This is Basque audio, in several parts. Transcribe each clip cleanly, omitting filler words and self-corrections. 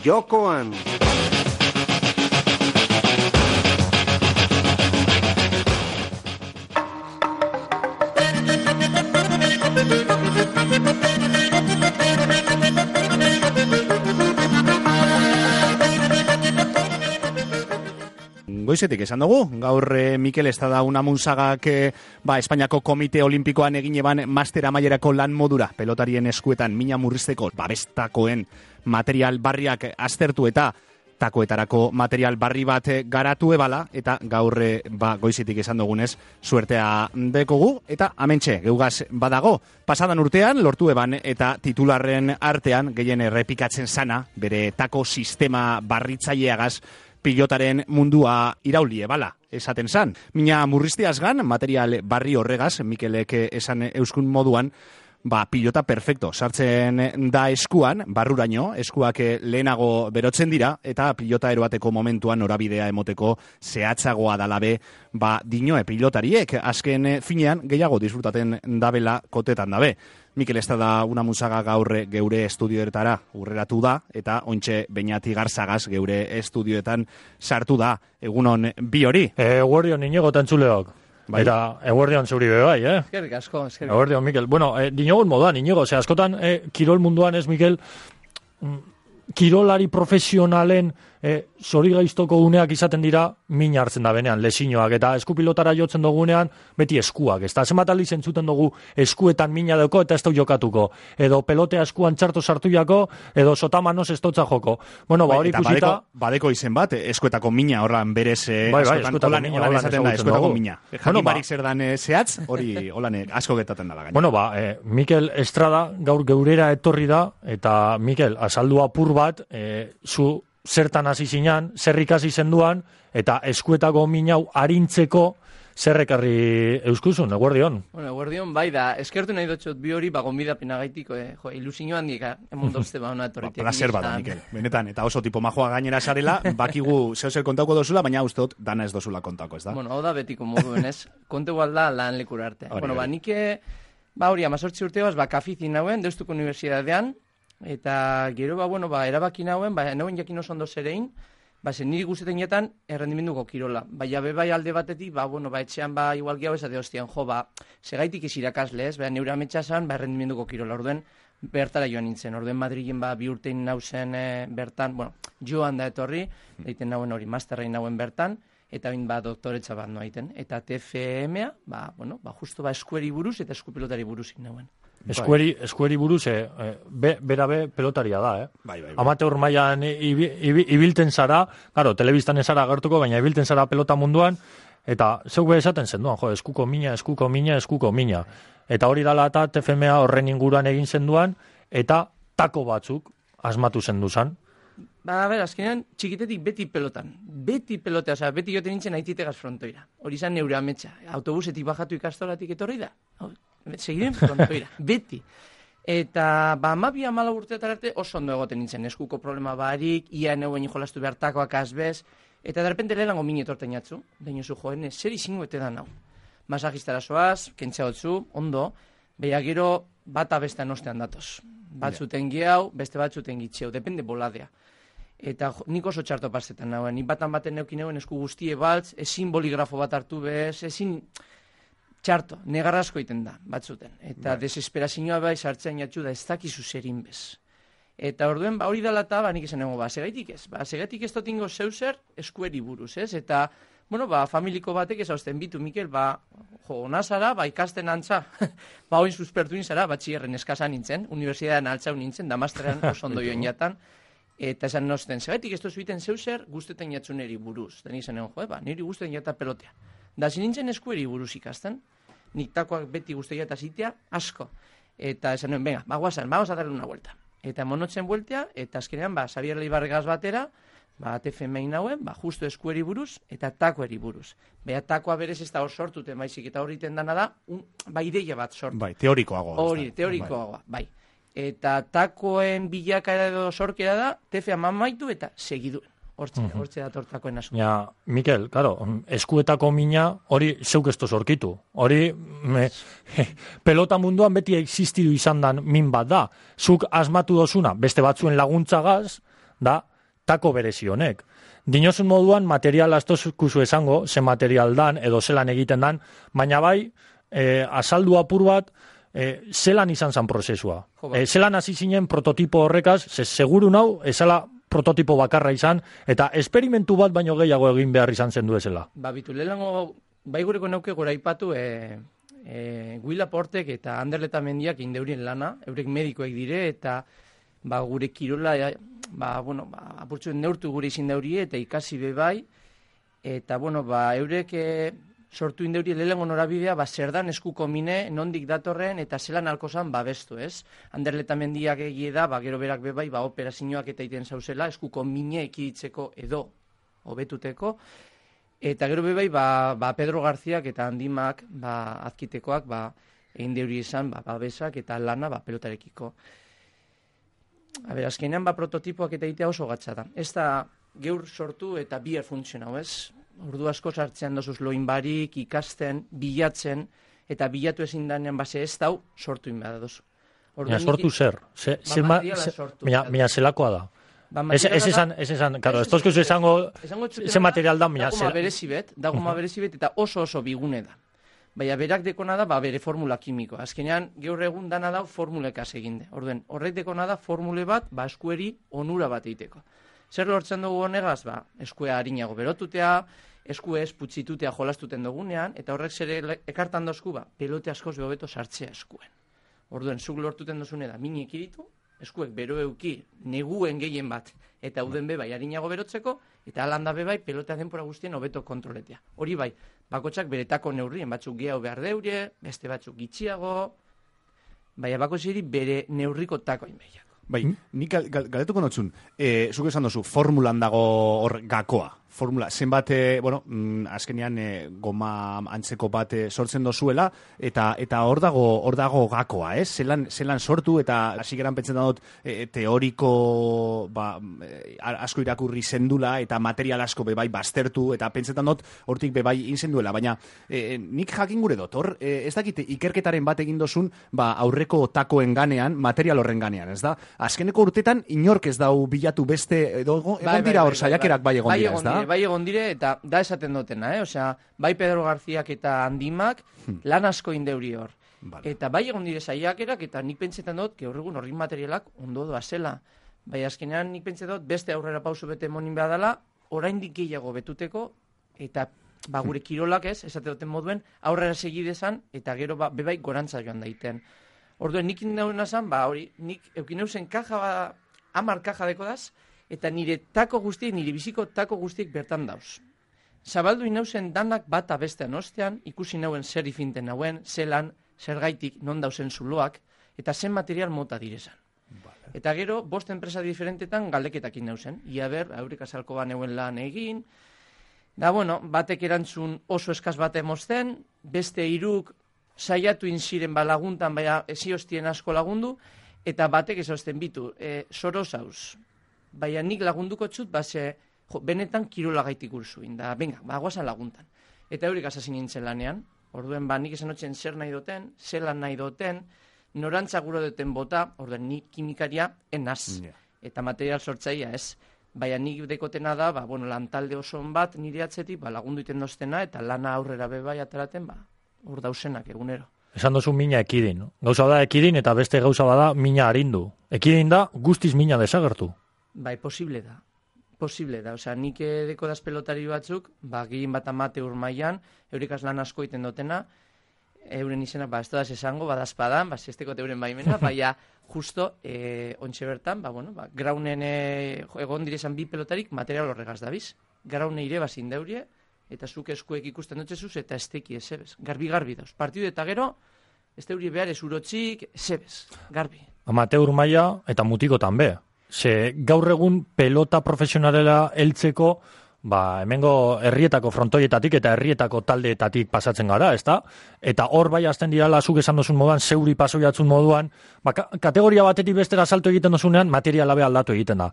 jokoan. Goizetik esan dugu, gaur Mikel Estada Unamunzagak Espainiako Komite Olimpikoan egin eban master amaierako lan modura pelotarien eskuetan mina murrizteko babestakoen material barriak aztertu eta takoetarako material barri bat garatu ebala, eta gaur goizetik esan dugunez suertea dekogu, eta amentxe geugaz badago. Pasadan urtean lortu eban eta titularren artean gehien errepikatzen sana bere tako sistema barritzaileagaz pilotaren mundua iraulie bala, esaten zan. Mina murrizteaz gan, material barri horregaz, Mikelek esan euskun moduan, pilota perfecto. Sartzen da eskuan, barruraino, eskuak lehenago berotzen dira, eta pilota eroateko momentuan norabidea emoteko zehatzagoa dalabe, dinoe pilotariek, azken finean gehiago disfrutaten dabela kotetan dabe. Mikel Estada Unamunzaga gaur geure estudioetara urreratu da, eta ointxe Beñati Garzagaz geure estudioetan sartu da. Egunon bi hori. Eguerdion Inigo tantzuleok. Bai. Eta eguerdion zeuri bai, Eskerrik asko, eskerrik. Eguerdion, Mikel. Bueno, dinogun moduan, Inigo, askotan kirol munduan ez, Mikel, kirolari profesionalen zori gaiztoko uneak izaten dira mina hartzen da benean, lesinoak, eta eskupilotara jotzen dugunean beti eskuak, ez da, zenbat aldiz entzuten dugu eskuetan mina dauko eta ez dau jokatuko, edo pelotea eskuan txarto sartu jako, edo sotamanos ez dotza joko. Bueno, hori ikusita... Badeko izen bat, eskuetako mina horran berez, holan esaten da, eskuetako mina. Jakin barik zer dan zehatz, hori holan asko getaten dala gaina. Bueno, Mikel Estrada gaur geurera etorri da, eta Mikel, azaldu apur bat, zu zertan hasi zinan, zer ikasi zenduan, eta eskuetako minau arintzeko zerrekarri euskuzun, eguerdion. Bueno, eguerdion, bai da, eskertu nahi dutxot bi hori, gonbidapena gaitiko, ilusio handik, emondozte ona etorritik. Placer bada, Mikel, benetan, eta oso tipo majoa gainera sarela, bakigu zeu kontauko dozula, baina usteot dana ez dozula kontauko, ez da? Bueno, hau da betiko moduen ez, konte gualda lan lekura arte. Bueno, nike, hori, 18 urteoaz, kafizin nauen, Deustuko Unibertsitatean, eta gero, erabaki nauen, nauen jakin oso ondo zerein, zen niri guztetan jetan errendimenduko kirola. Bai alde batetik, etxean igual gehiago esate hostian, segaitik ez irakasle ez, neure ametsa zan, errendimenduko kirola. Orduen, bertara joan nintzen. Orduen Madrilen bi urtein nauzen bertan, joan da etorri, daiten nauen hori, masterrein nauen bertan, eta bain doktoretza bat noa iten. Eta TFM-a, justo eskueri buruz eta eskupilotari buruz nauen. Eskueri buruz, berabe pelotaria da, Bai. Amateur mailan ibilten zara, claro, telebistan ez zara agertuko, baina ibilten zara pelota munduan, eta zeuk esaten zenduan, eskuko mina. Eta hori dala eta TFMA horren inguruan egin zenduan, eta tako batzuk asmatu zenduzan. Azkenean, txikitetik beti pelotan. Beti joten nintzen aititegaz frontoira. Hori zan neure ametsa. Autobusetik bajatu ikastolatik etorri da. Segiren frontoira. Beti. Eta, 12-14 urteetan arte oso ondo egoten nintzen. Eskuko problema barik, ia neuen jolastu behar takoak azbez. Eta derrepente lehenango mini etorten jatzu. Dainozu joen, zer izingo ete da nau. Masajistara soaz, kentzea hotzu, ondo. Beha gero, bata bestan ostean datoz. Batzuten gehiago, beste batzuten gitxeu. Depende boladea. Eta nik oso txarto pastetan nauen. Nik baten neukin neuen esku guztie baltz, ezin boligrafo bat hartu bez, ezin txarto, negarrazko iten da, batzuten. Eta desesperazioa sartzen jatxu da ez dakizu zerin bez. Eta orduen, hori dala eta, nik esan nago, segaitik ez. Segaitik ez dotingo zeuser eskueri buruz, ez? Eta, familiko batek ez hausten bitu, Mikel, onazara, ikasten antza, oin suspertu nintzara, batxierren eskasa nintzen, unibertsitatean altzau nintzen, da masteran oso ondo joan jatan, eta esan nosten, segaitik ez dozu iten zeuser guztetan jatzuneri buruz. Da nik esan nago, niri guztetan jata pelotea. Da zinintzen eskueri buruz ikasten, nik takoak beti guztetan jata zitea, asko. Eta esan nuen, venga, guazan, vamos a darle una vuelta. Eta monotzen bueltea, eta azkenean, Xabier Leibarregaz batera, TFM-in nauen, justo eskueri buruz, eta takoeri buruz. Beha, takoa berez ez da hor sortuten, baizik, eta horriten dana da, ideia bat sortu. Bai, teorikoagoa. Hori, teorikoagoa, bai. Eta takoen bilakaera edo sorkera da, TFA mamaitu eta segiduen. Hortze datortakoen asko. Ja, Mikel, claro, eskuetako mina hori zeuk ez sorkitu. Hori pelota munduan beti existidu izan dan min bat da. Zuk asmatu dozuna, beste batzuen laguntzagaz, da, tako berezi honek. Dinozun moduan material astozkuzu esango, ze material dan, edo zelan egiten dan, baina bai, azaldu apur bat, zelan izan zan prozesua. Zelan hasi zinen prototipo horrekaz, seguru nau, ezala prototipo bakarra izan, eta esperimentu bat baino gehiago egin behar izan zen duezela. Bitu, lehenengo, bai gureko nauke gora ipatu, Will Laportek eta Ander Letamendiak indeurien lana, eurek medikoek dire, eta gure kirola, apurtzuen neurtu gure izin daurie, eta ikasi bebai, eta, eurek sortu indeurie lehenengo norabidea, zer dan eskuko mine, nondik datorren, eta zelan alkozan babestu, ez? Ander Letamendiak egie da, gero berak bebai, operazioak eta iten zauzela, eskuko mine ekiditzeko edo hobetuteko, eta gero bebai, Pedro Garziak eta Handimak, azkitekoak, egin deuri izan, babesak eta lana, pelotarekiko. Azkenean, prototipoak eta egitea oso gatsa da. Ez da geur sortu eta bier funtzionau, ez? Ordu asko sartzean dozuz loin barik, ikasten, bilatzen, eta bilatu ezin danean ez dau, sortu inbada dozu. Sortu zer? Mila zelakoa da. Ez esan, karo, ez tozkuzu esango ze material da, mila zelakoa. Dagoma berezibet, eta oso bigune da. Baina berak dekona da, bere formula kimikoa. Azkenean, gaur egun dana da formulekaz eginde. Orduen, horrek dekona da formule bat, eskueri onura bat egiteko. Zer lortzen dugu honegaz, eskuea harinago berotutea, eskuez putzitutea jolastuten dugunean, eta horrek zer ekartan dozku, pelote askoz behobeto sartzea eskuen. Orduen, zuk lortuten dozune da, mini ekiritu, eskuek bero euki neguen gehien bat, eta uden bebai harinago berotzeko, eta alanda bebai pelotea denpora guztien hobeto kontroletea. Hori bai, bakotxak beretako neurrien, batzuk gehiago behar deure, beste batzuk gitxiago, baina bakotxeri bere neurriko takoin behiak. Bai, nik galetuko notzun, zuk esan dozu, formulan dago hor gakoa. Formula, zenbat, azkenean goma antzeko bat sortzen dozuela, eta hor dago gakoa, ez? Zelan sortu, eta hasi geran pentsetan dut teoriko asko irakurri zendula, eta material asko bebai baztertu, eta pentsetan dut hortik bebai inzenduela, baina nik jakin gure dut, hor, ez dakit ikerketaren bat egin dozun, aurreko takoen ganean, material horren ganean, ez da? Azkeneko urtetan inork ez dau bilatu beste, egon dira hor saiakerak bai egon dira, ez da? Bai egon dire, eta da esaten dutena, Osea, bai Pedro Garziak eta Handimak lan asko indeuri hor. Vale. Eta bai egon dire saiakerak, eta nik pentsetan dut, gaur egun horrin materialak ondo doa zela. Bai azkenean nik pentsetan dut, beste aurrera pausu bete monin behar dela, oraindik gehiago betuteko, eta gure kirolak ez, esate duten moduen, aurrera segidezan, eta gero bebai gorantza joan daiten. Orduen, nik indauna zan, hori, nik eukin eusen kaja, 10 kaja deko daz, eta nire tako guztiek, nire biziko tako guztiek bertan dauz. Zabaldu inauzen danak bat abestean ostean, ikusi nauen zer ifinten nauen, zelan, zergaitik non dauzen zuloak, eta zen material mota direzan. Vale. Eta gero, 5 enpresa diferentetan galdeketak inauzen. Ia ber, haurek azalko baneuen lan egin, da batek erantzun oso eskaz bat emozten, beste 3 saiatu inziren laguntan, baina eziostien asko lagundu, eta batek ezausten bitu, soro zauz. Baina nik lagunduko txut, benetan kirola gaitik urzuin, da, guazan laguntan. Eta haurik asazin nintzen lanean, orduen nik esan notzen zer nahi duten, zelan nahi duten, norantza guro duten bota, orduen nik kimikaria enaz, eta material sortzaia ez. Baina nik dekotena da, lantalde oson bat nire atzetik, lagundu iten doztena, eta lana aurrera bebai ateraten, hor dausenak egunero. Esan dozu mina ekidin, no? Gauza da ekidin, eta beste gauza bada mina harindu. Ekidin da, guztiz mina desagertu. Bai, posible da. Osea, nik deko daz pelotari batzuk, gehien bat amateur mailan, eurikaz lan asko iten dutena, euren izenak, ez da esango, badazpadan, zesteko euren baimena, baina justo, ontxe bertan, graunen egon direzan 2 pelotarik material horregaz dabiz. Graune ire bazin daurie, eta zuk eskuek ikusten dutxezuz, eta esteki ezebez. Garbi dauz. Partidu eta gero, ez daurie behar ez urotxik, ezebez. Garbi. Amateur maila eta mutikotan be. Ze gaur egun pelota profesionalera heltzeko, hemengo herrietako frontoietatik eta herrietako taldeetatik pasatzen gara, ezta? Eta hor bai azten dirala, zuk esan dozun moduan, zeuri pasoiatzun moduan, kategoria batetik bestera salto egiten dozunean, materiala be aldatu egiten da.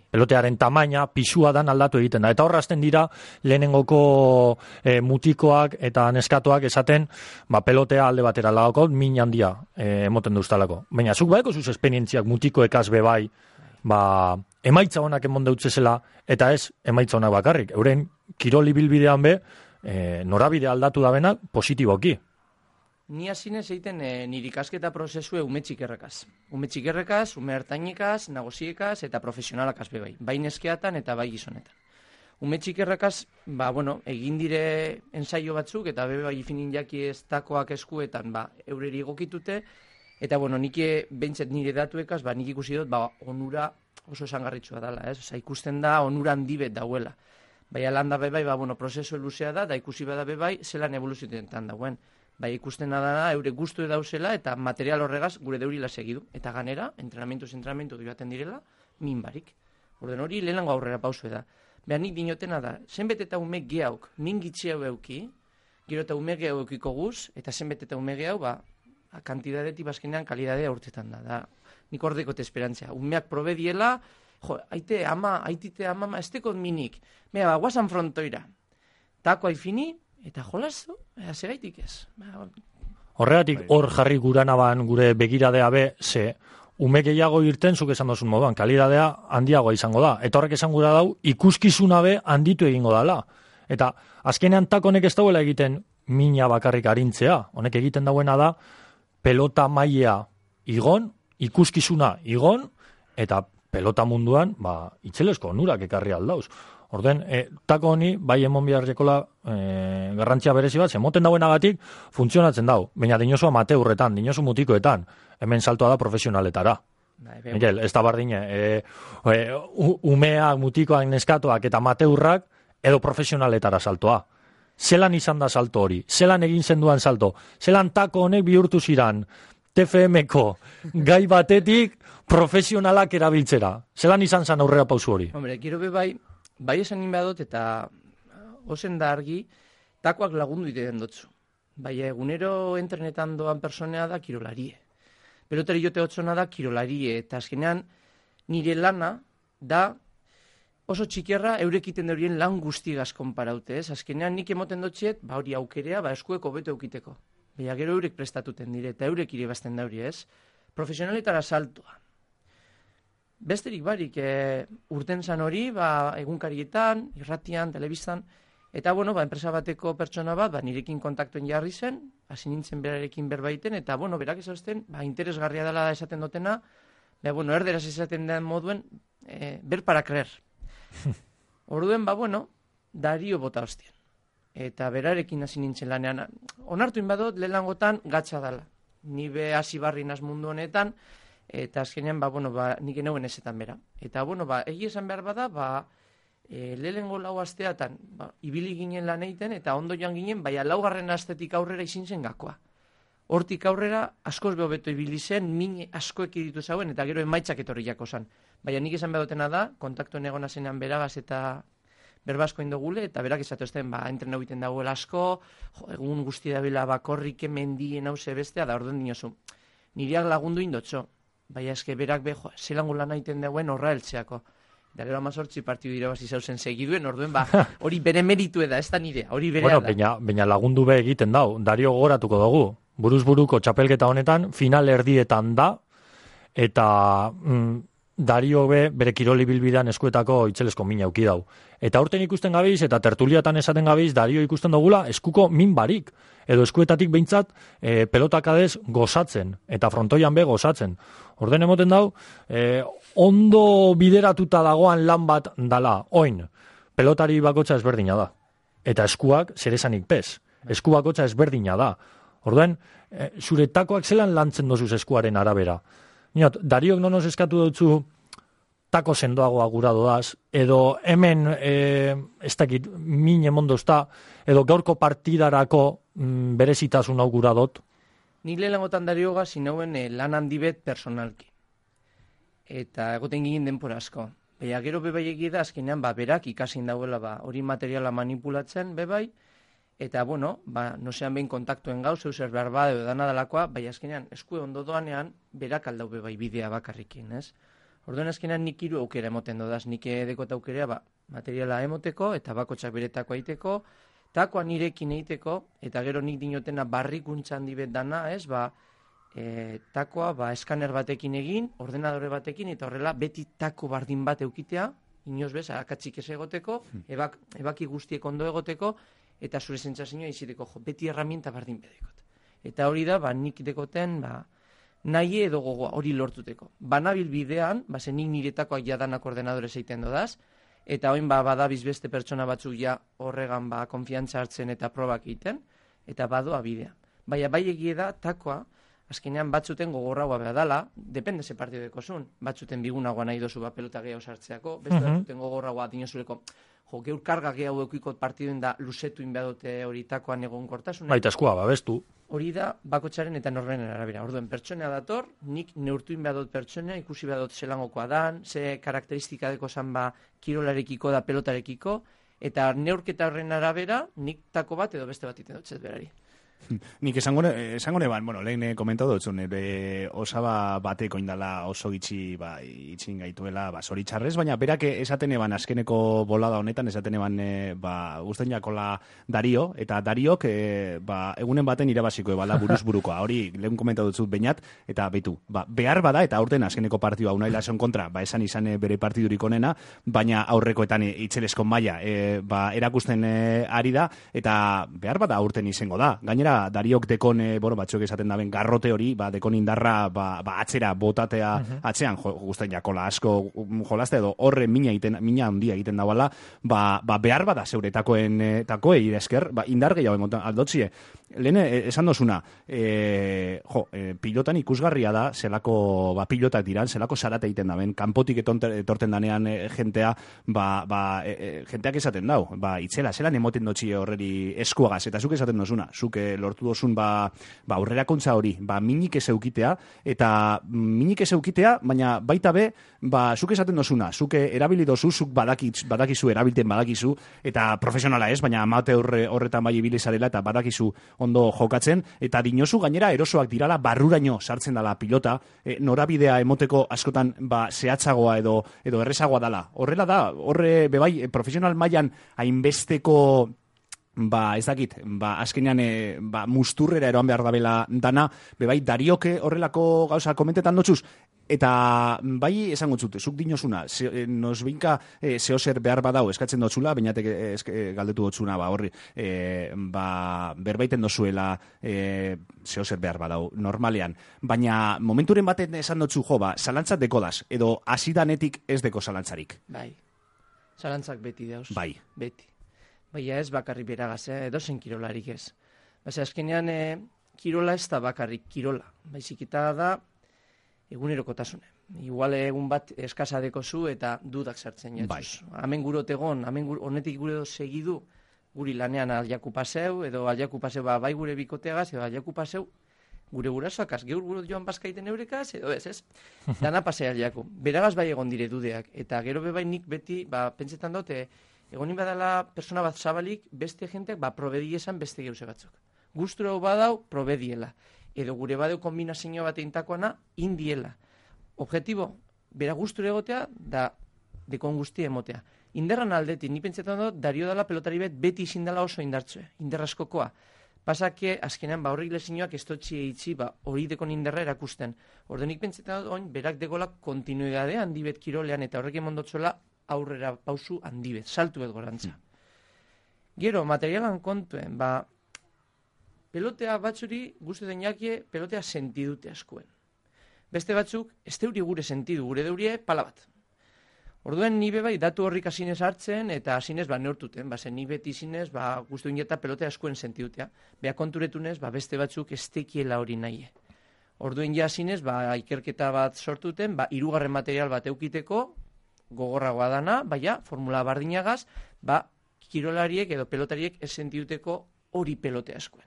Pelotearen tamaina, pisua dan aldatu egiten da. Eta hor azten dira, lehenengoko mutikoak eta neskatoak esaten, pelotea alde batera lagoko, min handia emoten duztalako. Baina zuk baeko zuz esperientziak mutikoekaz bebai, emaitza honak emon deutzezela, eta ez emaitza honak bakarrik. Euren kiroli bilbidean be, norabide aldatu da benak positiboki. Ni hasinez egiten nire ikasketa prozesue ume txikerrekaz. Ume txikerrekaz, ume hartainekaz, nagoziekaz eta profesionalakaz bebai. Bai neskeatan eta bai gizonetan. Ume txikerrekaz, egin dire ensaio batzuk eta bebai ifinin jaki ez takoak eskuetan eureri egokitute. Eta nik behintzet nire datuekaz, nik ikusi dut, onura oso esangarritxua dela, ez? Osa, ikusten da onura handibet dauela. Bai, alanda bebai, prozesu luzea da ikusi bada bebai, zelan evoluzioetan dauen. Bai, ikusten da, eure guztu dauzela, eta material horregaz gure deurila segidu. Eta ganera, entrenamentu joaten direla, min barik. Orden hori, lehenango aurrera pausu da. Beha, nik dinotena da, zenbet eta ume gehauk, min gitxe hau euki, gero eta ume gehauk eukiko guz, eta zenbet eta ume gehau, kantidadetik bazkenean kalidadea urtetan da. Nik ordeko esperantzia. Umeak probe diela, aitite ama, ez tekot minik. Mea, guazan frontoira. Tako haifini, eta jolazu, segaitik ez. Horregatik hor jarri guranaban gure begiradea be, ze ume gehiago irten zuk esan dozun moduan, kalidadea handiagoa izango da. Eta horrek esan gura dau, ikuskizuna be handitu egingo dala. Eta azkenean tak honek ez dauela egiten mina bakarrik arintzea. Honek egiten dauena da, pelota mailea igon, ikuskizuna igon, eta pelota munduan, itzelesko onurak ekarri aldauz. Orden, tako honi, bai emon biharrekola garrantzia berezi bat, zemoten dauenagatik funtzionatzen dau. Baina dinosu amateurretan, dinosu mutikoetan, hemen saltoa da profesionaletara. Miguel, ez da bardine, umeak, mutikoak, neskatuak eta amateurrak edo profesionaletara saltoa. Zelan izan da salto hori, zelan egin zenduan salto, zelan tako honek bihurtu ziran, TFM-ko gai batetik profesionalak erabiltzera. Zelan izan zen aurrera pausu hori? Hombre, gero bai esan inbadot eta ozen da argi, takoak lagundu iten dotzu. Bai, egunero internetan doan personea da kirolarie. Pelotari jote hotzona da kirolarie, eta azkenean nire lana da oso txikerra eurekiten deurien lan guztigaz konparaute, ez? Azkenean nik emoten dotxiet, hori aukerea, eskueko beto eukiteko. Baina gero eurek prestatuten dire, eta eurek iribazten dauri, ez? Profesionaletara saltoa. Besterik barik, urten zan hori, egunkarietan, irratian, telebistan, eta, enpresa bateko pertsona bat, nirekin kontaktuen jarri zen, hasi nintzen berarekin berbaiten, eta, berak esaten, interesgarria dela da esaten dutena, erderaz esaten den moduen, ber para creer. Orduen, Dario bota hostien. Eta berarekin hasi nintzen lanean. Onartu inbadot, lehenangotan gatsa dela. Ni be hasi barri naz mundu honetan, eta azkenean, nik eneuen ezetan bera. Eta, egi esan behar bada, lehenengo lau asteatan, ibili ginen lan egiten, eta ondo joan ginen, laugarren astetik aurrera izin zen gakoa. Hortik aurrera, askoz behobeto ibili zen, min askoek ditu zauen, eta gero emaitzak etorri jako zan. Baina nik esan behotena da, kontaktuen egona zenean beragaz eta berbasko indogule, eta berak esatu ezten, entrenau egiten dagoela asko, egun guzti dabila bakorrike mendien hause bestea, da orden dinozu. Niriak lagundu indotxo, baina eske berak zelango lan egiten dagoen horra eltzeako. Da gero 18 partidu irabazi zauzen segiduen, orduen hori bere meritu da, ez da nire, hori berea da. Baina lagundu be egiten dau, Dario gogoratuko dugu. Buruz-buruko txapelketa honetan, final erdietan da, eta Dario be bere kiroli bilbidean eskuetako itzelesko min auki dau. Eta aurten ikusten gabiz, eta tertuliatan esaten gabiz, Dario ikusten dugula eskuko min barik. Edo eskuetatik behintzat pelotakadez gozatzen, eta frontoian be gozatzen. Orden emoten dau, ondo bideratuta dagoan lan bat dala, oin, pelotari bakotxa ezberdina da. Eta eskuak zeresanik pez. Esku bakotxa ezberdina da. Orduan, zure takoak zelan lantzen dozuz eskuaren arabera. Dariok nonos eskatu dutzu tako sendoagoa gura doaz, edo hemen, ez dakit, min emondozta, edo gaurko partidarako berezitasun hau gura dut. Nik lehenengotan Darioga zinauen lan handibet personalki. Eta egoten ginen denpora asko. Baina gero bebai egida azkenean berak ikasin dauela hori materiala manipulatzen bebai, eta nosean behin kontaktuen gau, zeuzer behar bada edo dana dalakoa, bai azkenean eskue ondo doanean, berak aldau bebai bidea bakarrikin, ez? Orduan azkenean nik hiru aukera emoten dodaz, nik edekot aukerea materiala emoteko, eta bakotxak beretako aiteko, takoa nirekin eiteko, eta gero nik dinotena barrikuntza handi bet dana, ez? takoa eskaner batekin egin, ordenadore batekin, eta horrela beti tako bardin bat eukitea, inoz bez, akatsik ez egoteko, ebaki guztiek ondo egoteko, eta zure sentsazioa iziteko, beti herramienta bardin bedekot. Eta hori da, nik dekoten, nahi edo gogoa, hori lortuteko. Banabil bidean, nik niretakoak jadanak ordenadorez egiten dodaz, eta hoin badabiz beste pertsona batzuk ja horregan konfiantza hartzen eta probak egiten, eta badoa bidea. Baina bai egie da, takoa, azkenean batzuten gogorragoa behar dala, depende ze partido dekozun, batzuten bigunagoa nahi dozu pelota gehiago sartzeako, beste batzuten gogorragoa dinozuleko, geur karga gehiago eukiko partiduen da luzetu inbeadote hori takoan egon kortasun. Baita eskua, babestu. Hori da, bakotxaren eta norbenen arabera. Orduen, pertsonea dator, nik neurtu inbeadot pertsonea, ikusi behadot zelangokoa dan, ze karakteristika deko zan kirolarekiko da pelotarekiko, eta neurketa horren arabera, nik tako bat edo beste bat iten dutzet berari. Nik esango neban, lehen komentatu dutzun, osaba bateko indala oso gitxi itxin gaituela zoritxarrez, baina berak esaten eban azkeneko bolada honetan, esaten eban guztien jakola Dario, eta Dariok egunen baten irabaziko ebala buruz-burukoa, hori lehen komentatu dutzut bainat, eta betu, behar bada, eta aurten azkeneko partidua Unai Lason kontra, esan izan bere partidurik onena, baina aurrekoetan itxelezko maila erakusten ari da, eta behar bada aurten izango da, gainera Dariok dekon, batzuek esaten daben garrote hori, dekon indarra atzera botatea atzean, guztien jakola asko jolazte edo horre mina handia egiten dauala, behar bada zeure takoe iresker, indar gehiago emotan aldotzie. Lehen esan dozuna, pilotan ikusgarria da, zelako pilotak diran, zelako zarate egiten daben, kanpotik etorten danean jentea, jenteak esaten dau, itzela, zelan emoten dotxie horreri eskuagaz, eta zuk esaten dozuna, zuk lortu dozun aurrera kontza hori, minik ez eukitea, eta minik ez eukitea, baina baita be, zuk esaten dozuna, zuk erabili dozu, zuk badakizu, erabilten badakizu, eta profesionala ez, baina amate horretan bai ibilizarela, eta badakizu ondo jokatzen, eta dinozu gainera erosoak dirala barruraino sartzen dala pilota, norabidea emoteko askotan zehatzagoa edo errezagoa dala. Horrela da, horre bebai profesional mailan hainbesteko ez dakit, azkenean musturrera eroan behar dabela dana, bebai Darioke horrelako gauza komentetan dotzuz, eta bai esango zute, zuk dinozuna, nosbinka zehozer behar badau eskatzen dotzula, bainatek galdetu dotzuna, horri, berbaiten dozuela zehozer behar badau, normalean. Baina momenturen baten esan dotzu, zalantzat dekodaz, edo hasidanetik ez deko zalantzarik. Bai, zalantzak beti dauz. Bai. Beti. Baina ez bakarrik beragaz, edo zen kirolarik ez. Azkenean, kirola ez da bakarrik kirola. Baizik eta da, egunerokotasune. Igual egun bat eskasa dekozu eta dudak sartzen jatuz. Hemen gurotegon, honetik gure segidu, guri lanean aljaku paseu, edo aljaku paseu bai gure bikoteagaz, edo aljaku paseu gure gurasoakaz, geur guro joan bazkaiten eurekaz, edo ez. Dana pasea aljaku. Beragaz bai egon dire dudeak. Eta gero bebai nik beti, pentsetan dute, egonin badala persona bat zabalik, beste jenteak probedi esan beste geuse batzuk. Guztura badau, probediela. Edo gure badeu kombinazio bat eintakoana, indiela. Objetibo, bera guztura egotea, da dekon guzti emotea. Inderran aldetik, ni pentsetan dut, Dario dala pelotari bet beti izin dela oso indartzue, inderraskokoa. Pasake, azkenean, horrik lezinoak ez dutxi eitzi, hori dekon inderra erakusten. Ordenik pentsetan dut, berak dekola kontinuidade handibet kirolean, eta horrek emondotzuela aurrera pausu handibet, saltu bet gorantza. Gero, materialan kontuen, pelotea batzuri guzti den jakie, pelotea sentidute askuen. Beste batzuk, ez deuri gure sentidu, gure deurie pala bat. Orduen ni bai datu horrik asinez hartzen, eta asinez neurtuten, zen ni beti asinez guzti ineta pelotea askuen sentidutea. Beha konturetunez, beste batzuk ez tekiela hori nahi. Orduen ja asinez, ikerketa bat sortuten, hirugarren material bat eukiteko, gogorragoa dana, formula bardinagaz, kirolariek edo pelotariek ez sentiduteko hori pelotea askuen.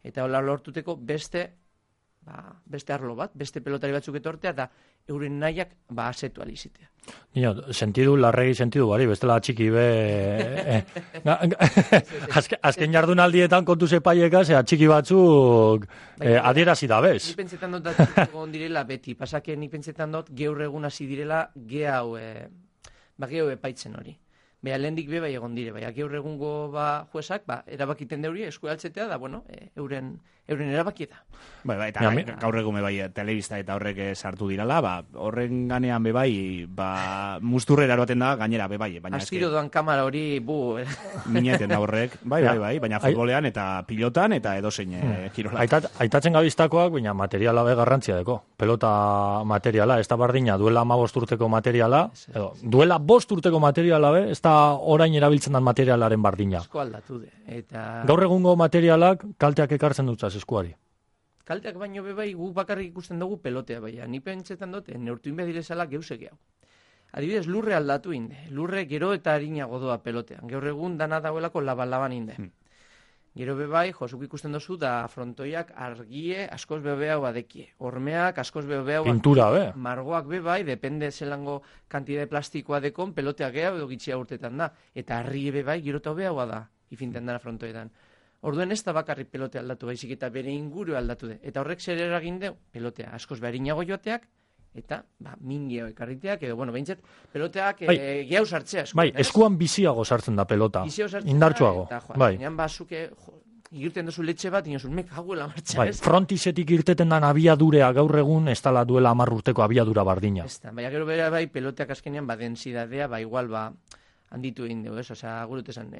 Eta hola lortuteko beste arlo bat, beste pelotari batzuk etortea, eta euren nahiak asetu alizitea. Sentidu, larregi sentidu bari, bestela txiki be... Azken jardunaldietan kontu zepaieka, txiki batzuk adierazi da bez. Nik pentsetan dut datuk egon direla beti, pasake nik pentsetan dut geur egun hasi direla geau epaitzen hori. Beha lehendik bai egon dire, bai, gaur egungo juezak, erabakiten deuri esku altzetea, da, bueno, euren erabakieta. Eta gaur egun bai, telebista eta horrek sartu dirala, horren ganean bai, musturrera eroaten da, gainera bai. Astiro doan kamara hori, mineten da horrek, bai, baina futbolean eta pilotan eta edozein kirola. Aitatzen gabistakoak, baina materiala garrantzia deko. Pelota materiala, ez da bardina, duela 15 urteko materiala, duela 5 urteko materiala, ez da orain erabiltzen den materialaren bardina. Asko aldatu de. Gaur egungo materialak kalteak ekartzen dutzaz eskuari. Kalteak baino bai guk bakarrik ikusten dugu pelotea, baina ni pentsetan dute neurtu inbedirezala geusek hau. Adibidez, lurre aldatu inde. Lurre gero eta harinago doa pelotean. Gaur egun dana dagoelako laban inde. Gero bai, josuk ikusten dozu da frontoiak argie askoz bebeau badekie. Hormeak askoz bebeau pintura, margoak bai, depende zelango kantidade plastikoa dekon, pelotea gehiago edo gitxia urtetan da. Eta arrie bai, gero eta bebeagoa da, ifinten dara frontoetan. Orduen ez da bakarrik pelotea aldatu baizik eta bere inguru aldatu de. Eta horrek zer eragin deu, pelotea askoz beharinago joateak, eta mingeo ekarriteak, edo, behintzat, peloteak gehiago sartzea. Bai, eskuan biziago sartzen da pelota. Indartsuago. Bai. Bazuke, igirten duzu letxe bat, inozun, haguela martxa. Bai, frontisetik irteten dan abiadurea gaur egun, ez dala duela 10 urteko abiadura bardina. Ez da, baina gero bera bai, peloteak azkenean, densidadea, igual, handitu egin dugu, ez? Osea, gurut esan,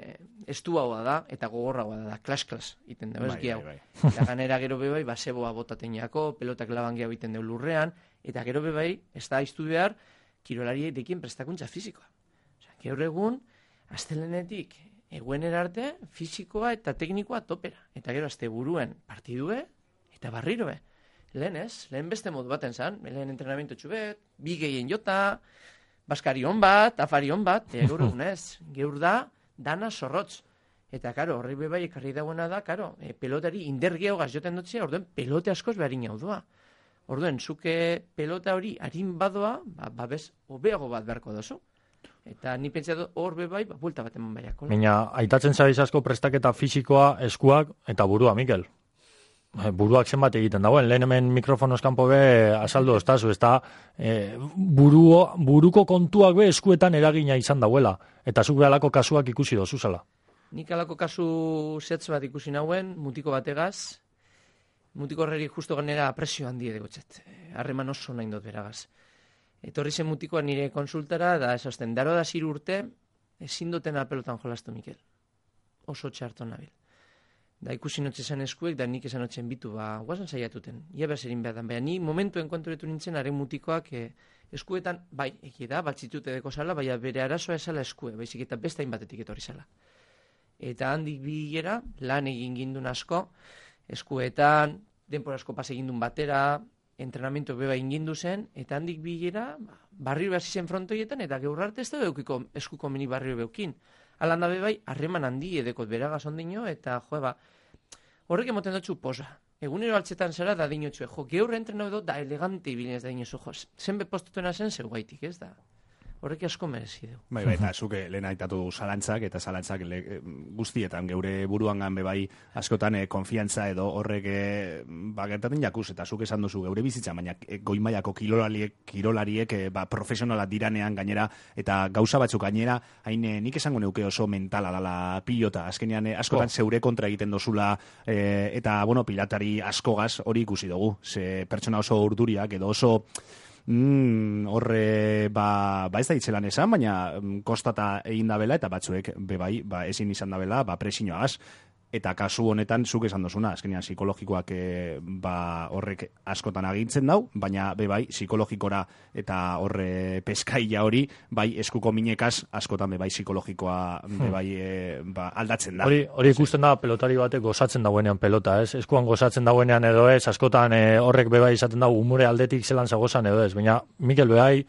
estuagoa da, eta gogorragoa da, klas, iten dugu, ez gehiago. Eta ganera gero bai, seboa botateñako, pelotak laban gehiago iten dugu lurrean, eta gero bai, ez da iztu behar, kirolari dekien prestakuntza fizikoa. Osea, gaur egun, astelenetik, eguenera arte, fizikoa eta teknikoa topera. Eta gero, azte buruen partidue, eta barrirue. Lehen beste modu baten zan, lehen entrenamiento txubet, bi gehien jota, baskarion bat, afarion bat, gaur egunez, gaur da, dana zorrotz. Eta, karo, horri bai ekarri dagoena da, karo, pelotari indergeo joten dutzea, orduen pelote askoz beharin hau doa. Orduen, zuke pelota hori harin badoa, bez, obeago bat beharko dozu. Eta ni pentsatu hor bai, buelta bat eman baiako. Baina, aitatzen zabiz asko prestaketa fisikoa, eskuak eta burua, Mikel. Buruak zenbat egiten dagoen, lehen hemen mikrofonoz kanpo azaldu estazu, ez da buruko kontuak eskuetan eragina izan dauela, eta zuk behalako kasuak ikusi dozu zala. Nik alako kasu zetz bat ikusi nauen, mutiko bategaz, mutiko horreri justo ganera presio handi edegotzet, harreman oso nahi dut beragaz. Etorri zen mutikoa nire konsultara, da esazten, daro da 3 urte, ezin duten pelotan jolastu, Mikel. Oso txarto nabil. Da ikusi notxe esan eskuek, da nik esan notxen bitu, guazan saiatuten. Ia berzerin behar dan, baina ni momentuen konturetu nintzen, haren mutikoak eskuetan, bai, eki da, batxitute deko zala, baina bere arazoa esala eskue, baizik eta beste hainbatetik etorri zala. Eta handik bigera, lan egin gindun asko, eskuetan, denpora asko pas egindun batera, entrenamiento beba ingindu zen, eta handik bigera, barrio behar zizen frontoietan, eta gaur arte ez da eskuko mini barrio beukin. Alanda bai, harreman handi edekot beragaz ondino, eta horrek emoten dutxu posa. Egunero altzetan zara da dinotxue, geur entreno edo da elegante ibilinez da dinozu, zenbe postutena zen zeu gaitik, ez da? Horrek asko merezi du. Bai, eta zuke lehen aitatu zalantzak, eta zalantzak guztietan, geure buruangan bai askotan konfiantza edo horrek gertaten jakuz, eta zuk esan duzu geure bizitza, baina goimaiako kirolariek profesionala diranean gainera, eta gauza batzuk gainera, hain nik esango neuke oso mentala dala pilota, azkenean askotan zeure kontra egiten dozula, eta, pilatari askogaz hori ikusi dugu, ze pertsona oso urduriak edo oso horre, ez da itzelan esan, baina kostata egin dabela, eta batzuek, bebai, ezin izan dabela, presioagaz. Eta kasu honetan, zuk esan dozuna, azkenean psikologikoak horrek askotan agintzen dau, baina bebai, psikologikora eta horre peskaila hori, bai eskuko minekaz, askotan bebai psikologikoa bebai aldatzen da. Hori ikusten da pelotari batek gozatzen dauenean pelota, ez? Eskuan gozatzen dauenean edo ez, askotan horrek bebai izaten da umore aldetik zelan zagozan edo ez, baina Mikel bebai,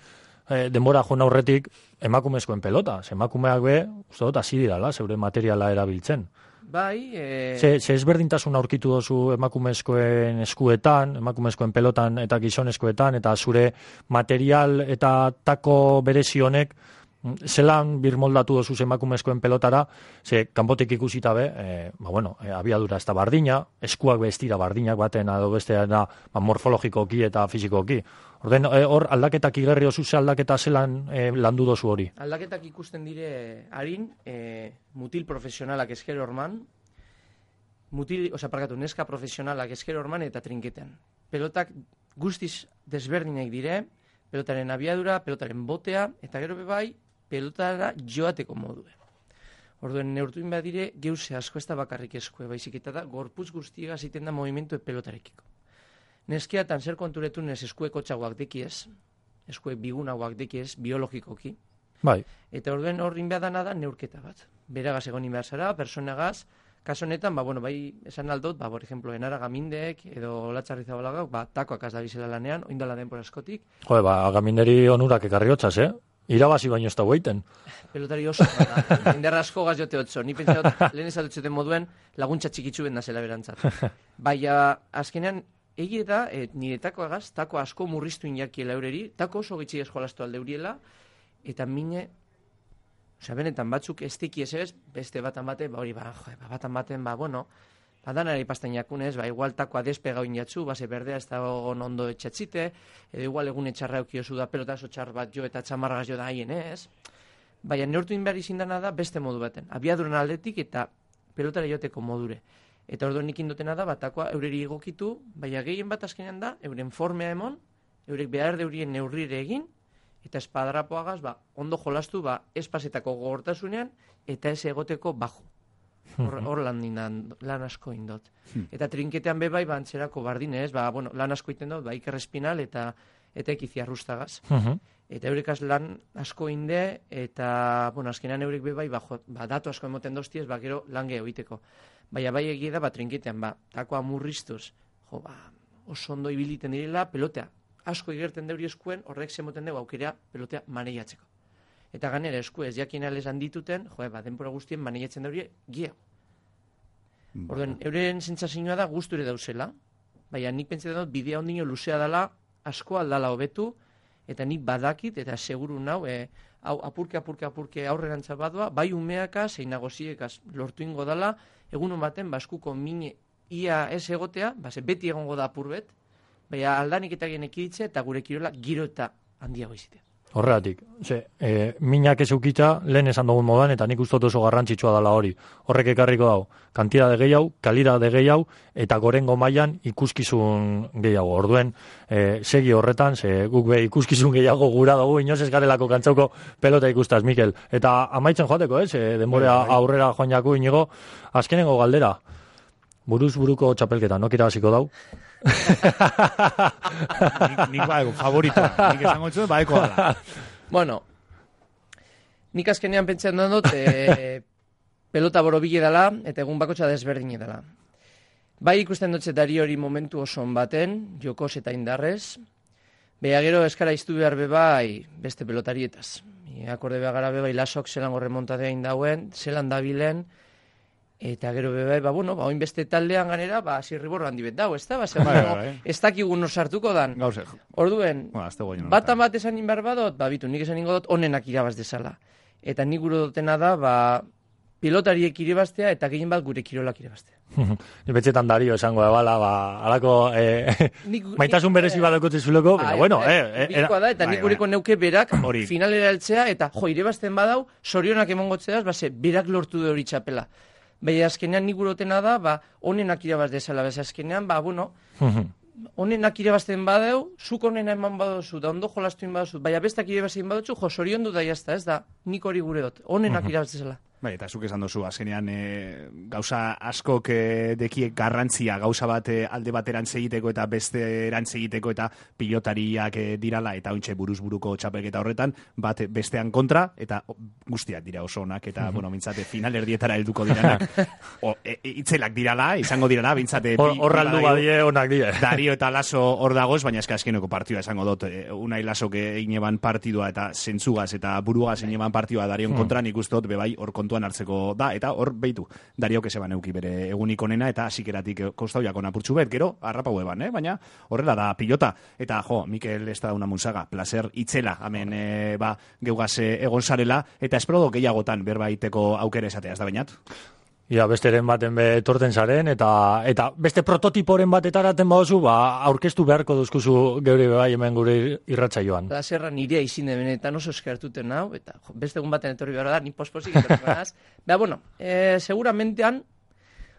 denbora joan aurretik emakumezkoen pelota, emakumeak uste dut hasi dirala, zeure materiala erabiltzen. Bai, Ze ezberdintasun aurkitu dozu emakumezkoen eskuetan, emakumezkoen pelotan eta gizonezkoetan, eta zure material eta tako berezi honek zelan birmoldatu dozu emakumezkoen pelotara, ze kanpotik ikusita be, abiadura ez da bardina, eskuak be ez dira bardinak baten edo besteena morfologikoki eta fisikoki. Orden, hor aldaketak igerri oso ze aldaketa zelan landu dozu hori? Aldaketak ikusten dire harin, mutil profesionalak esker orman, neska profesionalak esker orman eta trinketean. Pelotak guztiz desberdinak dire, pelotaren abiadura, pelotaren botea, eta gero bai, pelotara joateko modue. Orduen, neurtuin badire, geuse asko ez da bakarrik eskue, baizik eta da, gorputz guztiega ziten da movimentu pelotarekiko. Neskiatan zer konturetun ez eskueko txagoak dekiez, eskue bigunagoak dekiez, biologikoki. Bai. Eta orduen horrin behadana da neurketa bat. Beragaz egonin behar zara, personagaz, kaso honetan, bai, esan aldot, por ejemplo, enara gamindek, edo latxarri zabalagak, takoak az da bizela lanean, oindala denpora askotik. Gaminderi onurak ekarri hotzaz, Irabazi baino ez da guaiten. Pelotari oso, inderra asko gaz jote otzo. Ni pentsa dut, lehen ezaldutzeten moduen, laguntza txikitzu ben da zela berantzat. Baina, azkenean, egie da, nire takoagaz, tako asko murriztu inakiela eureri, tako oso gitzi eskolaztu alde euriela, eta mine, benetan batzuk ez teki ez, beste batan bate, batan baten, badanara ipastan jakunez, igual takoa despega oinatzu, base berdea ez da ondo etxatzite, edo igual egun etxarra eukiozu da, pelota oso txar bat jo eta txamargaz jo da haien ez. Baina neurtu inbehar izindana da beste modu baten. Abiaduran aldetik eta pelotara joteko modure. Eta orduan nik indotena da, takoa eureri egokitu, baina gehien bat azkenean da, euren formea emon, eurek behar deurien neurrire egin, eta espadrapoagaz, ondo jolastu, espazetako gogortasunean, eta ez egoteko bajo. Hor lan asko indot. Eta trinketean bebai, antzerako bardinez, lan asko iten dut, Iker Espinal eta ekiziarrustagaz. Eta eurekaz lan asko inde, eta, azkenean eurek bebai, datu asko emoten doztiez, gero lan geho iteko. Baina bai egia da, trinketean, takoa murriztuz, oso ondo ibiliten direla, pelotea asko igerten deuri eskuen, horrek zemoten dugu aukera pelotea maneiatzeko. Eta ganera esku ez jakin alez handituten, denpora guztien maneiatzen deuri gehiago. Orduan, euren sentsazioa da gusture dauzela, baina nik pentsatzen dut bidea ondino luzea dela, asko aldala hobetu, eta nik badakit, eta seguru nau, apurke aurrerantza badua, bai umeaka, zein nagoziekaz lortu ingo dela, egun baten, baskuko mine ia ez egotea, beti egongo da apurbet, baina aldanik eta gen ekiditze, eta gure kirola giro eta handiago izitea. Horregatik, minak ez eukita, lehen esan dugun modan, eta nik ustot oso garrantzitsua dela hori. Horrek ekarriko dau, kantidade gehiago, kalidade gehiago, eta gorengo mailan ikuskizun gehiago. Orduen, segi horretan, guk be ikuskizun gehiago gura dugu, inoz ez garelako kantzauko pelota ikustaz, Mikel. Eta amaitzen joateko, denborea aurrera joan jaku inigo, azkenengo galdera, buruz buruko txapelketa, nokira hasiko dau? Nik baeko, favoritoa. Nik esango etxu, baeko da. Bueno, nik azkenean pentsen dut, pelota borobile dela, eta egun bakotxa desberdine dela. Bai ikusten dutze dari hori momentu oson baten, jokos eta indarrez, beha gero eskara iztu behar bebai beste pelotarietaz. Akorde behar gara bebai lasok zelan remontadea indauen, zelan dabilen, eta gero bebai, oin beste taldean ganera, zirriborro handi bet dau, ez da? Ez dakigun sartuko dan. Orduen, batan bat esan inbar badot, bitu, nik esan ingo dut, onenak irabaz dezala. Eta nik gure dutena da, pilotariek irabaztea, eta gehien bat gure kirolak irabaztea. Betxetan dario esango ebala, alako maitasun berezi badakotze zuleko, baina bueno, bikoa da, eta nik gureko neuke berak finalera eltzea, eta irabazten badau, sorionak emongotzeaz, berak lortu de hori txapela. Baina azkenean nik gurotena da, onenak irabaz dezala, azkenean, onenak irabazten badeu, zuk onena eman badozu, da ondo jolastuin badozu, baina bestak irabazten badozu, sorion du da jazta, ez da, nik hori gure dut, onenak irabaz dezala. Bai, eta zuk esan dozu, azkenean gauza askok dekiek garrantzia, gauza bat alde bateran egiteko eta beste erantz egiteko eta pilotariak dirala, eta ointxe buruz-buruko txapelketa horretan, bat bestean kontra, eta guztiak dira oso onak, eta, mintzate, final erdietara helduko diranak. Itzelak dirala, izango dirala, bintzate... Horraldu badie onak dire. Dario eta Laso hor dagoz, baina eska azkeneko partidua esango dut, Unai Lasok egin eban partidua eta zentzugaz eta burugaz egin eban partidua Darion kontra, nik ustot, bebai, hor kontu kontuan hartzeko da, eta hor behitu, Dario Keseban euki bere egunik onena, eta asikeratik kostauiak onapurtxu bet, gero, harrapau eban, baina horrela da pilota, eta Mikel ez da una munsaga, placer itzela, hemen geugaz egon zarela, eta espero gehiagotan berbaiteko aukere esatea, ez da bainat? Ja, besteren baten etorten zaren, eta beste prototiporen batetaraten baduzu, aurkeztu beharko duzkuzu geure bai hemen gure irratsaioan. Plazerra nirea izin de benetan oso eskertuten nau, eta beste egun baten etorri behar da, ni posposik etorri behar. Seguramentean,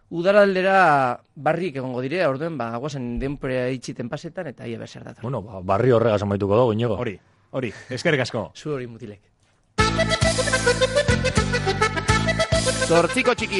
udaraldera barrik egongo dire, orduen, guazen denpore itxiten pasetan, eta ia berzer data. Bueno, barri horregaz amaituko dugu, Iñigo. Hori, eskerrik asko. Zu hori mutilek. Zortziko txiki